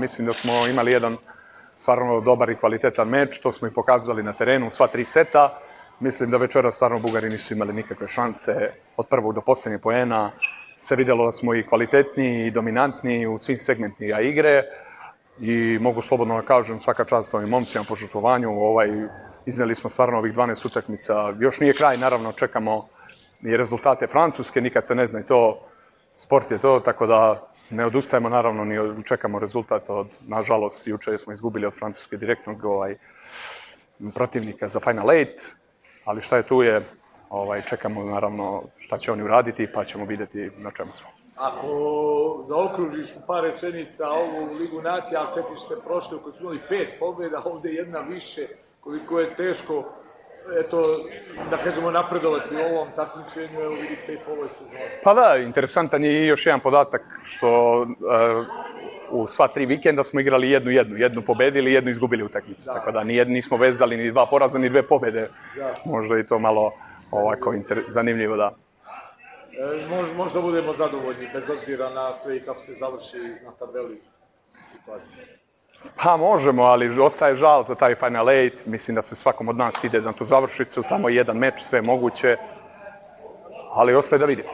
Mislim da smo imali jedan stvarno dobar i kvalitetan meč, to smo i pokazali na terenu, sva 3 seta. Mislim da večera stvarno Bugari nisu imali nikakve šanse od prvog do posljednjeg poena. Se vidjelo da smo i kvalitetniji i dominantniji u svim segmentima igre i mogu slobodno da kažem svaka čast ovim momcima po žrtvovanju. Izneli smo stvarno ovih 12 utakmica. Još nije kraj, naravno čekamo i rezultate Francuske, nikad se ne zna i to, sport je to, tako da ne odustajemo naravno ni čekamo rezultat nažalost, juče smo izgubili od Francuske direktnog protivnika za Final 8, ali šta je tu je, čekamo naravno šta će oni uraditi pa ćemo vidjeti na čemu smo. Ako zaokružiš u par rečenica ovu Ligu nacija, a setiš se prošle u kojoj smo imali 5 pobjeda, ovdje jedna više, koliko je teško, eto, da kažemo napredovati u ovom takmičenju, evo vidi se i po ovoj sezoni. Pa da, interesantan je i još jedan podatak što u sva 3 vikenda smo igrali jednu pobedili i jednu izgubili utakmicu, tako da nismo vezali ni 2 poraza ni 2 pobjede, možda i to malo ovako zanimljivo, da. Možda budemo zadovoljni, bez obzira na sve i kako se završi na tabeli situacije. Pa možemo, ali ostaje žal za taj Final 8, mislim da se svakom od nas ide na tu završnicu, tamo je jedan meč, sve moguće, ali ostaje da vidimo.